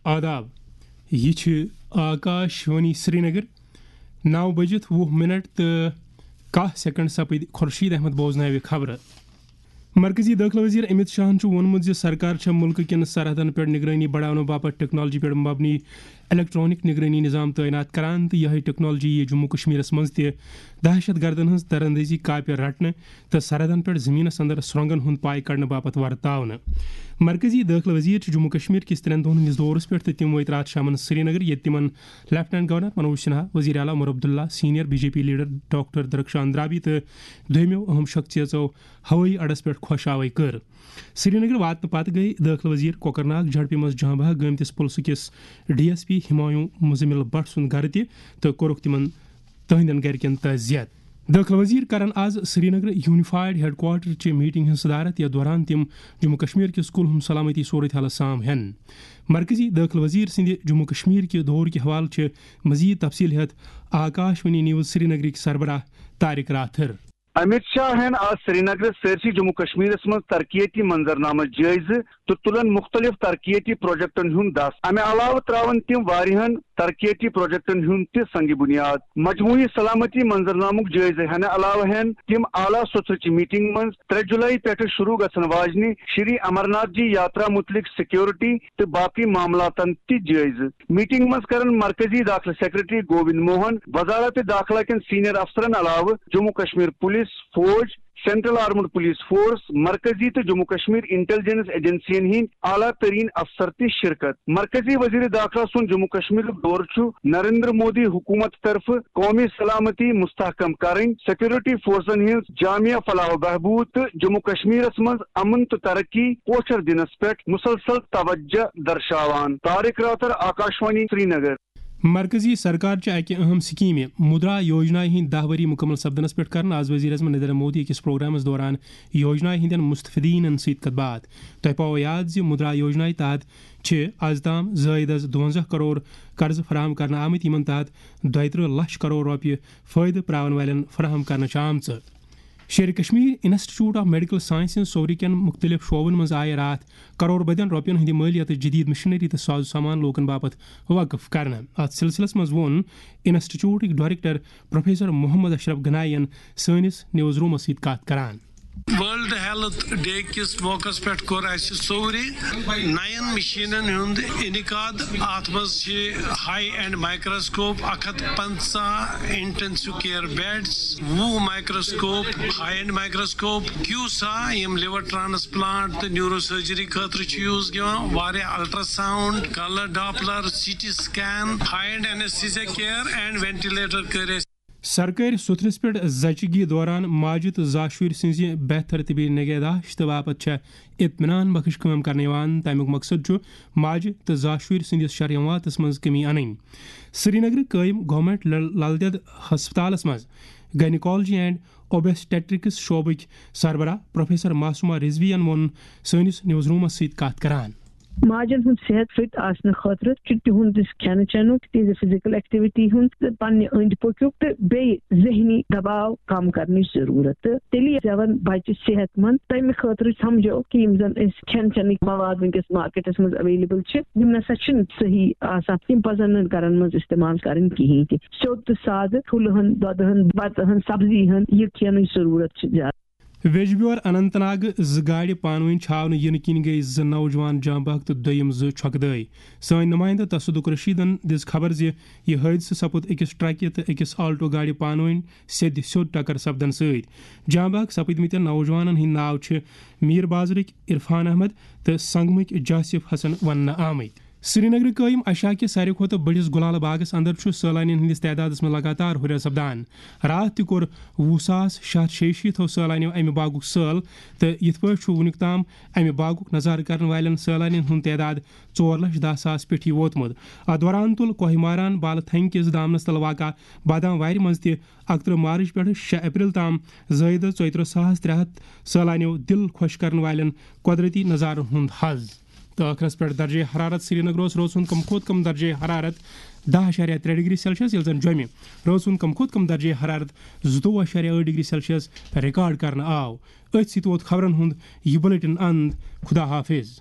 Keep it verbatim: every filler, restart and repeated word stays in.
آداب، یہِ چھِ آکاش وانی سرینگر۔ نو بجِتھ وُہ منٹ تہٕ کاہ سیکنڈ سپٕدۍ۔ خورشید احمد بوزناوِ خبرٕ۔ مرکزی دٲخلہٕ وزیر امت شاہن چھُ ووٚنمُت زِ سرکار چھےٚ مُلکہٕ کٮ۪ن سرحدن پٮ۪ٹھ نگرٲنی بڑاونہٕ باپتھ ٹیکنالوجی پٮ۪ٹھ مبنی الیکٹرانک نگرٲنی نظام تعینات کران تہٕ یِہے ٹیکنالوجی یِیہِ جموں کشمیرس منٛز تہِ دہشت گردن ہٕنٛز دراندازی کاپہِ رٹنہٕ تہٕ سرحدن پٮ۪ٹھ زمینس اندر سرنگن ہُنٛد پاے کڑنہٕ باپتھ ورتاونہٕ۔ مرکزی دٲخلہٕ وزیر چھِ جموں کشمیر کِس ترٛٮ۪ن دۄہن ہٕنٛدِس دورس پٮ۪ٹھ تہٕ تِم وٲتۍ راتھ شامن سرینگر، ییٚتہِ تِمن لیفٹیننٹ گورنر منوج سنہا، وزیر اعلیٰ Omar Abdullah, senior B J P leader doctor Darakhshan Andrabi تہٕ دوٚیمٮ۪و اہم شخصیژو ہوٲیی اڈس پٮ۪ٹھ خۄش آوے کٔر۔ سرینگر واتنہٕ پتہٕ گٔیہِ دٲخلہٕ وزیر کۄکرناگ جھڑپہِ منٛز جاں بحق گٔمتِس پُلسہٕ کِس D S P Humayun Muzammil Bhat سُنٛد گرٕ تہِ تہٕ کوٚرُکھ تِمن تہنٛدٮ۪ن گرِکٮ۪ن تعزیت۔ دٲخلہٕ وزیر کرن آز سرینگر یونیفائیڈ ہیڈ کوارٹر چہِ میٹنگ ہٕنٛز صدارت، یتھ دوران تِم جموں کشمیر کِس کُلہُم سلامتی صورت حالس سام ہٮ۪ن۔ مرکزی دٲخلہٕ وزیر سٕنٛدِ جموں کشمیر کہِ دورٕ کہِ حوالہٕ چھِ مزید تفصیل ہٮ۪تھ آکاش وانی نیوز سرینگرٕکۍ سربراہ طارق راتھر۔ امت شاہ ہٮ۪ن آز سرینگرس سٲرسٕے جموں کشمیرس منٛز ترقیتی منظرنامس جٲیزٕ تہٕ تُلن مُختٔلِف ترقیتی پروجیکٹن ہُنٛد دس۔ امہِ علاوٕ ترٛاون تِم واریاہن ترقیتی پروجیکٹن ہُنٛد تہِ سنگ بنیاد۔ مجموعی سلامتی منظرنامُک جٲیزٕ ہٮ۪نہٕ علاوٕ ہٮ۪ن تِم اعلیٰ سوٚژرٕچہِ میٹنگ منٛز ترٛےٚ جولائی پٮ۪ٹھٕ شروع گژھن واجنہِ شری امرناتھ جی یاترا متعلق سیکورٹی تہٕ باقی معاملاتن تہِ جٲیزٕ۔ میٹنگ منٛز کرن مرکزی داخلہٕ سیکرٹری گووند موہن، وزارت داخلہ کٮ۪ن سینئر افسرن علاوٕ جموں کشمیر پولیس، فوج، سینٹرل آرمڈ پولیس فورس، مرکزی تہٕ جموں کشمیر انٹیلیجنس ایجنسین ہٕنٛدۍ اعلیٰ ترین افسر تہِ شرکت۔ مرکزی وزیر داخلہ سُنٛد جموں کشمیرُک دورٕ چھُ نریندر مودی حکومت طرفہٕ قومی سلامتی مستحکم کرٕنۍ، سیکورٹی فورسن ہٕنٛز جامع فلاح و بہبود تہٕ جموں کشمیرس منٛز امن تہٕ ترقی پوچھر دِنس پٮ۪ٹھ مسلسل توجہ درشاوان۔ طارق راتھر، آکاشوانی، سرینگر۔ مرکزی سرکار چہِ اکہِ اہم سکیمہِ مدرا یوجنا ہٕنٛدۍ دَہ ؤری مکمل سپدنس پٮ۪ٹھ کرن آز وزیر اعظم نریندر مودی أکِس پروگرامس دوران یوجنا ہٕنٛدٮ۪ن مستفیدینن سۭتۍ کتھ باتھ۔ تۄہہِ پاوو یاد زِ مدرا یوجنا تحت چھِ از تام زٲیدس دُوَنزاہ کرور قرضہٕ فراہم کرنہٕ آمٕتۍ، یِمن تحت دۄیہِ ترٕہ لچھ کرور رۄپیہِ فٲیدٕ پراون والٮ۪ن فراہم کرنہٕ چھِ آمژٕ۔ شیرِ Kashmir institute of medical sciences سورِ کٮ۪ن مُختٔلِف شعبن منٛز آیہِ راتھ کرور بدٮ۪ن رۄپین ہٕنٛدِ مٲلیتٕچ جدید مشینری تہٕ ساز و سامان لوٗکن باپتھ وقف کرنہٕ۔ اتھ سلسلس منٛز ووٚن انسٹیٹیوٹٕکۍ ڈائریکٹر پروفیسر محمد اشرف گنائی ین سٲنِس نیوز رومس سۭتۍ کتھ کران۔ ورلڈ ہیلتھ ڈے کِس موقعس پٮ۪ٹھ کوٚر اَسہِ سورِ نَین مِشیٖنَن ہُنٛد انعقاد۔ اَتھ منٛز چھِ ہائی اینڈ مائیکروسکوپ، اکھ ہتھ پنژاہ انٹینسو کیئر بیڈز، وُہ microscope, high end microscope, CUSA, یِم لیور ٹرانسپلانٹ تہٕ نیورو سرجری خٲطرٕ چھِ یوٗز یِوان، واریاہ ultrasound, colour doppler, C T scan, high end anaesthesia care and ventilator کٔرۍ اَسہِ۔ سرکٲرۍ سوٚتھرِس پٮ۪ٹھ زچگی دوران ماجہِ تہٕ زاشُرۍ سٕنٛزِ بہتر طبی نگہداشت باپتھ چھےٚ اطمینان بخش کٲم کرنہٕ یِوان۔ تَمیُک مقصد چھُ ماجہِ تہٕ زاشُرۍ سٕنٛدِس شرحیواتس منٛز کمی انٕنۍ۔ سرینگرٕ قٲیِم گورنمنٹ لل-، لل دٮ۪د ہسپتالس منٛز گائنیکالوجی اینڈ اوبسٹیٹرکس شعبٕکۍ سربراہ پروفیسر معصومہ رضوی ین ووٚن سٲنِس نیوز رومس سۭتۍ کتھ کران۔ ماجن ہُنٛد صحت فٹ آسنہٕ خٲطرٕ چھُ تِہُنٛد یُس کھٮ۪نہٕ چٮ۪نُک، تِہنٛزِ فزیکل ایکٹیویٹی ہُنٛد تہٕ پننہِ أنٛدۍ پٔکیُک تہٕ بیٚیہِ ذہنی دباو کم کرنٕچ ضروٗرت۔ تہٕ تیٚلی زٮ۪ون بچہِ صحت مند۔ تمہِ خٲطرٕ سمجھو کہِ یِم زن أسۍ کھٮ۪ن چٮ۪نٕکۍ مواد وٕنکیٚس مارکیٹس منٛز اویلیبل چھِ، یِم نسا چھِنہٕ صحیح آسان، یِم پزن نہٕ گرن منٛز استعمال کرٕنۍ کِہینۍ تہِ۔ سیوٚد تہٕ سادٕ ٹھوٗلہٕ ہن، دۄدٕ ہن، بتہٕ ہن، سبزی ہن، یہِ کھٮ۪نٕچ ضروٗرت چھِ زیادٕ۔ ویجبیور اننت ناگ زٕ گاڑِ پانہٕ ؤنۍ چھاونہٕ یِنہٕ کِنۍ گٔیہِ زٕ نوجوان جاں بحق تہٕ دوٚیِم زٕ چھۄکہٕ دٲرۍ۔ سٲنۍ نُمٲیندٕ تصدق رشیدن دِژ خبر زِ یہِ حٲدثہٕ سپُد أکِس ٹرکہِ تہٕ أکِس آلٹو گاڑِ پانہٕ ؤنۍ سیٚدِ سیوٚد ٹکر سپدن سۭتۍ۔ جاں بحق سپٕدمٕتٮ۪ن نوجوانن ہٕنٛدۍ ناو چھِ میر بازرٕکۍ عرفان احمد تہٕ سنگمٕکۍ جاسف حسن وننہٕ آمٕتۍ۔ سرینگرٕ قٲیِم ایشیا کہِ ساروی کھۄتہٕ بٔڑِس گُلالہٕ باغس اندر چھُ سٲلانین ہٕنٛدِس تعدادس منٛز لگاتار ہُرٮ۪ر سپدان۔ راتھ تہِ کوٚر وُہ ساس شےٚ ہتھ شیٚیہِ شیٖتھ سٲلانیو امہِ باغُک سٲل تہٕ یِتھ پٲٹھۍ چھُ وُنیُک تام امہِ باغُک نظارٕ کرن والٮ۪ن سٲلانین ہُنٛد تعداد ژور لچھ دَہ ساس پٮ۪ٹھ یہِ ووتمُت۔ اتھ دوران تُل کوہ ماران بالہٕ تھنگ کِس دامنس تل واقع بادام وارِ منٛز تہِ اکترٕہ مارچ پٮ۪ٹھٕ شےٚ اپریل تام زٲیدٕ ژۄیہِ ترٕہ ساس ترٛےٚ ہتھ سٲلانیو دِل خۄش کرن والٮ۪ن قۄدرتی نظارن ہُنٛد حظ۔ تہٕ ٲخرس پٮ۪ٹھ درجے حرارت۔ سرینگرس روز سُنٛد کم کھۄتہٕ کم درجے حرارت دَہ اَشاریہ ترٛےٚ ڈگری سیلسیس، ییٚلہِ زن جوٚمہِ روزُن کم کھۄتہٕ کم درجے حرارت زٕتووُہ اَشاریہ ٲٹھ ڈگری سیلسیس ریکارڈ کرنہٕ آو۔ أتھۍ سۭتۍ ووت خبرن ہُنٛد یہِ بلیٹن اند۔ خدا حافظ۔